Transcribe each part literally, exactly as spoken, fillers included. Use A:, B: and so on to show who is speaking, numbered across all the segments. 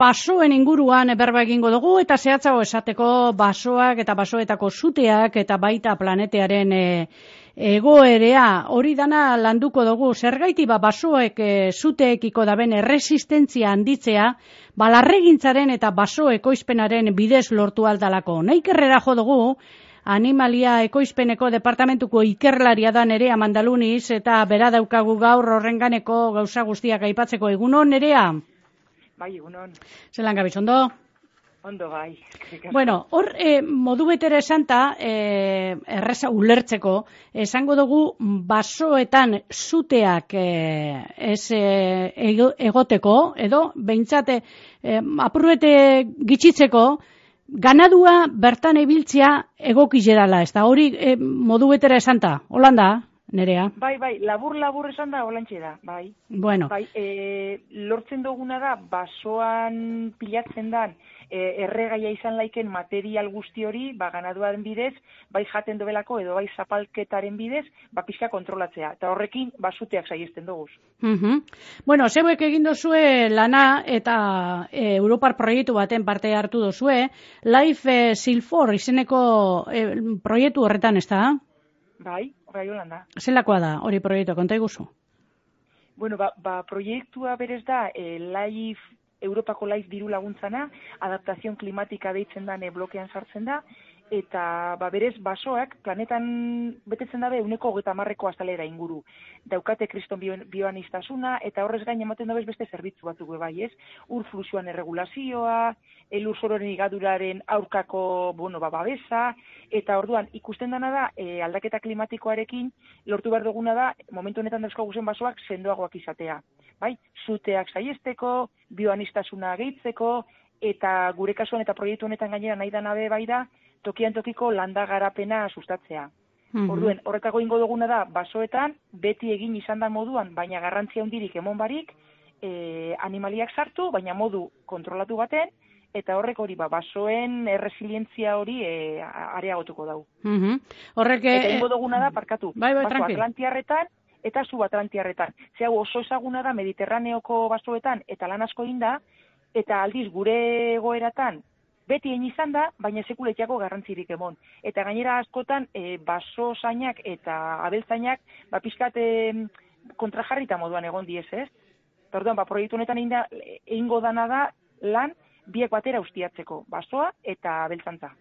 A: basoen inguruan berba egingo dugu eta zehatzago esateko basoak eta basoetako suteak eta baita planetearen e, egoerea hori dana landuko dugu. Zergaiti ba basoek e, suteekiko daben erresistentzia handitzea balarregintzaren eta baso ekoizpenaren bidez lortu aldalako. Naikerrera jo dugu Animalia ekoizpeneko departamentuko ikerlaria da Nerea Mandaluniz eta bera daukagu gaur horrenganeko gauza guztiak aipatzeko. Egunon, Nerea?
B: Bai, egunon.
A: Zelan gabiz, ondo?
B: Ondo, bai.
A: Bueno, hor eh, modu betere esanta, eh, erreza ulertzeko, esango dugu basoetan suteak eh, ez eh, egoteko, edo behintzate eh, apurrete gitxitzeko, ganadua bertan ibiltzea egokizerala, ez da hori eh, modu betera esanta, Holanda, Nerea?
B: Bai, bai, labur-labur esan da, holantxe da, bai.
A: Bueno.
B: Bai, e, lortzen duguna da, basoan pilatzen dan, e, erregaia izan laiken material guzti hori, ba, ganaduaren bidez, bai jaten dobelako edo bai zapalketaren bidez, ba, pixka kontrolatzea. Eta horrekin, basuteak saiesten duguz.
A: Uh-huh. Bueno, zeuek egin dozue lana eta e, Europar proiektu baten parte hartu dozue, Life e, Silfor izeneko e, proiektu horretan, ez da?
B: Bai, bai, Holanda.
A: Zelakoa da, hori proiektua, konta iguzu?
B: Bueno, ba, ba proiektua berez da, e, Life, Europako Life diru laguntzana, adaptazion klimatika deitzen da, e, blokean sartzen da, eta ba, berez basoak planetan betetzen dabe uneko hogeita hamarreko azalera inguru. Daukate kriston bioanistasuna, eta horrez gain ematen dabez beste zerbitzu batzuk bai, ez? Ur fluxuan erregulazioa, elur sororen igaduraren aurkako, bueno, ba, babesa, eta orduan ikusten dana da, e, aldaketa klimatikoarekin lortu behar duguna da, momentu honetan dauzkagu zen basoak sendoagoak izatea. Bai? Suteak saiesteko, bioanistasuna gehitzeko, eta gure kasuan eta proiektu honetan gainera nahi da nabe bai da, tokian tokiko landa garapena sustatzea. Mm-hmm. Orduen, horretako ingo duguna da, basoetan, beti egin izan da moduan, baina garrantzia hundirik emon barik, e, animaliak sartu, baina modu kontrolatu baten, eta horrek hori, ba, basoen erresilientzia hori e, areagotuko dau.
A: Mm-hmm. Horrek...
B: Eta ingo duguna da, parkatu,
A: bai, bai,
B: baso atlantiarretan, eta subatlantiarretan. Zea, oso ezaguna da, Mediterraneoko basoetan, eta lan asko inda, eta aldiz gure egoeratan, beti egin izan da, baina sekuletiako garrantzirik emon. Eta gainera askotan, e, baso zainak eta abeltzainak, ba, pixkat e, kontrajarrita moduan egon diez, ez? Orduan, ba, proiektu honetan egingo dana da, lan, biek batera ustiatzeko, basoa eta abeltzantza.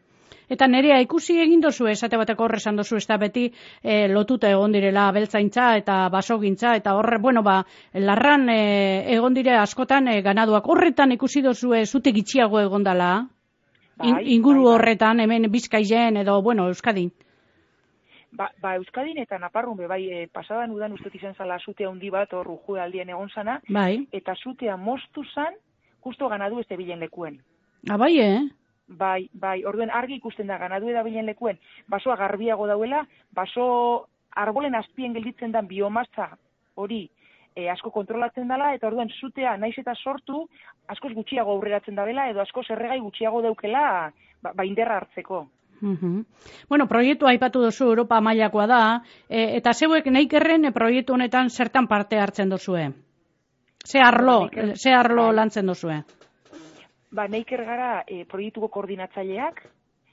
A: Eta Nerea, ikusi egin dozu, esate bateko horrezan dozu, ez da beti e, lotuta egon direla abeltzaintza eta basogintza, eta horre, bueno, ba, larran e, egon dire askotan e, ganaduak. Horretan ikusi dozu, e, zute gitxiago egon dela? In, inguru bai, bai. Horretan, hemen Bizkaian edo, bueno, Euskadin?
B: Ba, ba Euskadin eta Naparrun, be, bai, e, pasadan udan ustot izan zala zute handi bat, hor rujue aldien egon zana,
A: bai.
B: Eta zutea moztu zan, justo ganadu ez bilen lekuen.
A: Ah, bai, eh?
B: Bai, bai, orduen argi ikusten da, ganadu eda bilen lekuen, basoa garbiago dauela, baso arbolen azpien gelditzen dan biomasa hori, E, asko kontrolatzen dela, eta orduan zutea naiz eta sortu, askoz gutxiago aurreratzen dabela, edo askoz erregai gutxiago daukela, ba, ba inderra hartzeko.
A: Uh-huh. Bueno, proiektu aipatu duzu Europa mailakoa da, e, eta zeuek neikerren e, proiektu honetan zertan parte hartzen duzue? Ze arlo, ba, ze arlo ba, lantzen duzue?
B: Ba, neiker gara e, proiektuko koordinatzaileak,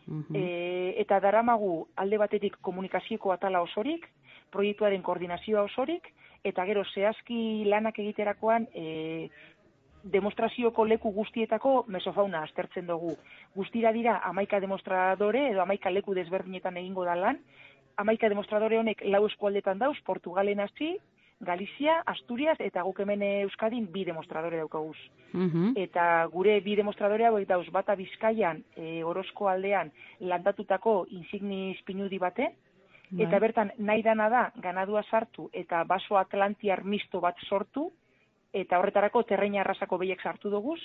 B: uh-huh. e, eta daramagu alde batetik komunikazioko atala osorik, proiektuaren koordinazioa osorik, eta gero zehazki lanak egiterakoan e, demostrazioko leku guztietako mesofauna aztertzen dugu. Guztira dira hamaika demostradore edo hamaika leku desberdinetan egingo da lan. Hamaika demostradore honek lau eskualdetan dauz, Portugalen hasi, Galizia, Asturias eta guk hemen Euskadin bi demostradore daukaguz. Uh-huh. Eta gure bi demostradore hauek dauz bata Bizkaian, e, Orozko aldean landatutako insignis pinudi baten, eta bertan nahi dana da ganadua sartu eta baso atlantiar misto bat sortu, eta horretarako terreina arrasako behiek sartu duguz,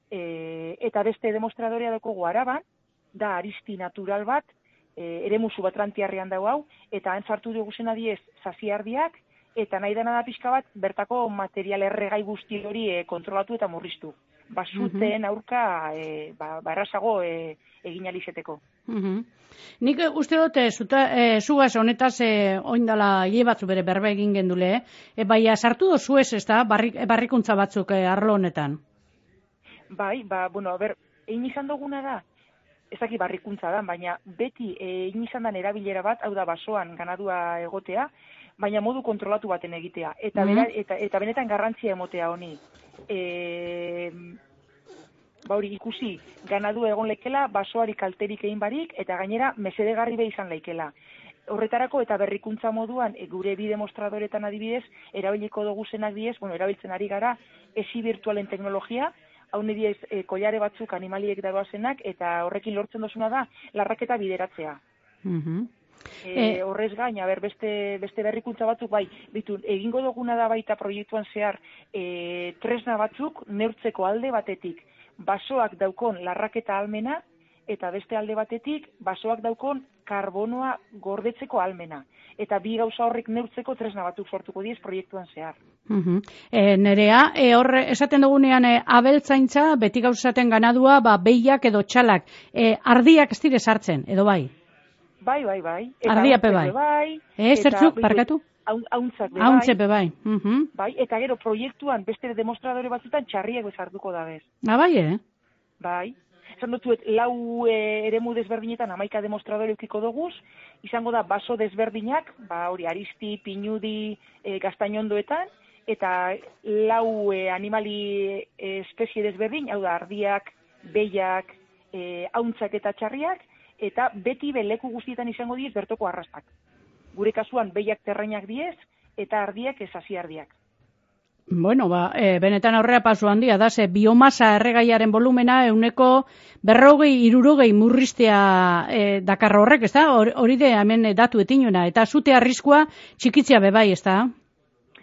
B: e, eta beste demostradorea dugu Araban, da aristi natural bat, e, ere musu atlantiarrean dago hau, eta han sartu dugu zena diez zaziardiak, eta nahi dana da pixka bat, bertako material erregai guzti hori e, kontrolatu eta murriztu. Basuten aurka e, ba, barrasago e, egin alizeteko.
A: Uh-huh. Nik uste dut, e, zugaz honetaz e, oindala hile batzu bere berbe egin gendule, e, baina sartu dozu ez, ez da, barrik, barrikuntza batzuk e, arlo honetan?
B: Bai, ba, bueno, ber, egin izan duguna da, ez dakit barrikuntza da, baina beti egin izan dan erabilera bat, hau da basoan ganadua egotea, baina modu kontrolatu baten egitea. Eta, bera, eta, eta benetan garrantzia emotea honi. E, ba hori ikusi, ganadua egon lekela, basoari kalterik egin barik, eta gainera mesedegarri be izan laikela. Horretarako eta berrikuntza moduan, e, gure bi demostradoretan adibidez, erabiliko dugu zenak diez, bueno, erabiltzen ari gara, esi virtualen teknologia, hau diez, e, koiare batzuk animaliek dagoazenak, eta horrekin lortzen dozuna da, larraketa bideratzea.
A: Mhm.
B: E, e, horrez gain, aber, beste, beste berrikuntza batzuk, bai, bitu, egingo duguna da baita proiektuan zehar, e, tresna batzuk neurtzeko alde batetik, basoak daukon larraketa almena, eta beste alde batetik, basoak daukon karbonoa gordetzeko almena. Eta bi gauza horrek neurtzeko tresna batzuk sortuko diez proiektuan zehar.
A: Uh-huh. E, nerea, e, horre, esaten dugunean e, abeltzaintza, beti gauzaten ganadua, ba, behiak edo txalak, e, ardiak ez dire sartzen, edo bai?
B: Bai, bai, bai.
A: Ardiape bai.
B: bai.
A: E, zertzuk, parkatu?
B: Hauntzak be bai.
A: Hauntzepe bai. Uh-huh.
B: Bai, eta gero proiektuan beste demostradore batzutan txarriak bezartuko da bez.
A: Ah, bai, eh?
B: Bai. Esan dutzuet, lau e, eremu desberdinetan amaika demostradore eukiko doguz, izango da baso desberdinak, ba hori Aristi, Pinudi, e, Gaztainondoetan, eta lau e, animali e, espezie desberdin, hau da, ardiak, behiak, e, hauntzak eta txarriak, eta beti beleku guztietan izango diez bertoko arrastak. Gure kasuan behiak terreinak diez, eta ardiak ez hasiardiak.
A: Bueno, ba, e, benetan aurrera pasu handia da, ze biomasa erregaiaren volumena euneko berrogei, irurogei murriztea e, dakar horrek, ez da? Hori de hemen datu etinuena, eta zute arriskua txikitzea bebai, ez da?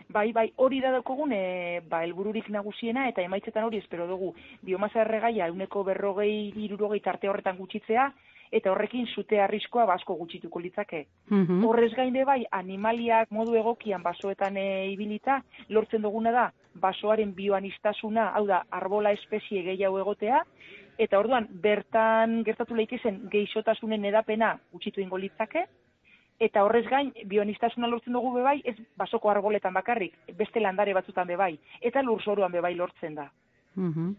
B: Bai, bai, hori da daukogun, e, ba, helbururik nagusiena, eta emaitzetan hori espero dugu. Biomasa erregaia euneko berrogei, irurogei tarte horretan gutxitzea, eta horrekin zute arriskoa asko gutxituko litzake.
A: Uh-huh.
B: Horrez gainde bai, animaliak modu egokian basoetan e, ibilita, lortzen duguna da, basoaren bioanistasuna, hau da, arbola espezie gehiago egotea, eta orduan, bertan gertatu leikezen geixotasunen edapena gutxitu ingo litzake, eta horrez gain, bioanistasuna lortzen dugu bebai, ez basoko arboletan bakarrik, beste landare batzutan bebai, eta lurzoruan bebai lortzen da.
A: Uh-huh.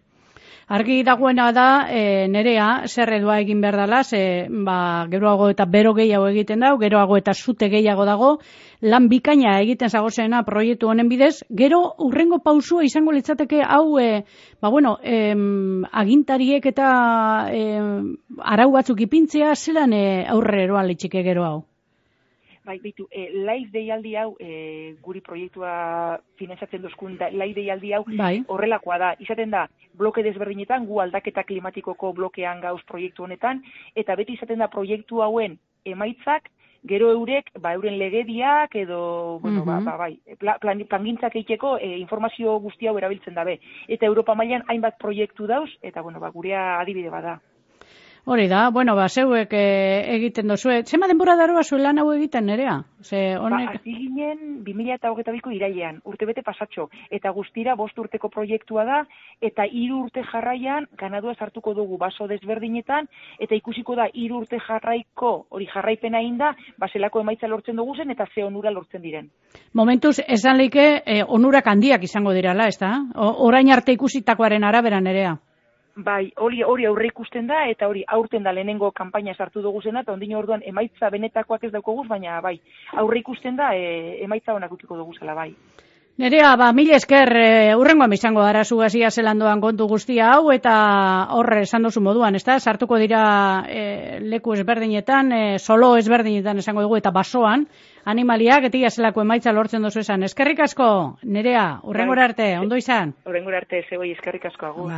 A: Argi dagoena da, e, nerea, zer edua egin behar dela, ze, ba, geroago eta bero gehiago egiten dago, geroago eta zute gehiago dago, lan bikaina egiten zagozena proiektu honen bidez, gero urrengo pausua izango litzateke hau, e, ba, bueno, em, agintariek eta em, arau batzuk ipintzea, zelan e, aurre eroa litxike gero hau?
B: Bai, bitu, e, live deialdi hau, e, guri proiektua finantzatzen duzkun, da, live deialdi hau
A: bai.
B: Horrelakoa da. Izaten da, bloke desberdinetan, gu aldaketa klimatikoko blokean gauz proiektu honetan, eta beti izaten da proiektu hauen emaitzak, gero eurek, ba, euren legediak, edo, bueno,
A: uh-huh.
B: ba, ba, bai, plan, plangintzak eiteko e, informazio guzti hau erabiltzen dabe. Eta Europa mailan hainbat proiektu dauz, eta, bueno, ba, gurea adibide bada.
A: Hori da, bueno, ba, zeuek e, egiten dozue. Zema denbora daroa zuen lan hau egiten, nerea? Ze, honek...
B: Ba, hasi ginen bi mila hogeita biko irailean, urtebete pasatxo, eta guztira bost urteko proiektua da, eta hiru urte jarraian ganadua sartuko dugu baso desberdinetan, eta ikusiko da hiru urte jarraiko, hori jarraipena inda, baselako emaitza lortzen dugu zen, eta ze onura lortzen diren.
A: Momentuz, esan leike, e, onurak handiak izango dirala, ez da? Orain arte ikusitakoaren arabera, nerea?
B: Bai, hori hori aurre ikusten da, eta hori aurten da lehenengo kanpaina sartu dugu zena, eta ondino orduan emaitza benetakoak ez daukoguz, baina bai, aurre ikusten da, e, emaitza honak ukiko dugu zela, bai.
A: Nerea, ba, mil esker, e, urrengoan bizango gara zugazia zelandoan kontu guztia hau, eta horre esan duzu moduan, ez da? Sartuko dira e, leku ezberdinetan, e, solo ezberdinetan esango dugu, eta basoan, animaliak, eta zelako emaitza lortzen duzu esan. Eskerrik asko, Nerea, urrengora arte, ondo izan?
B: Urrengora arte, zeboi, eskerrik asko, agur.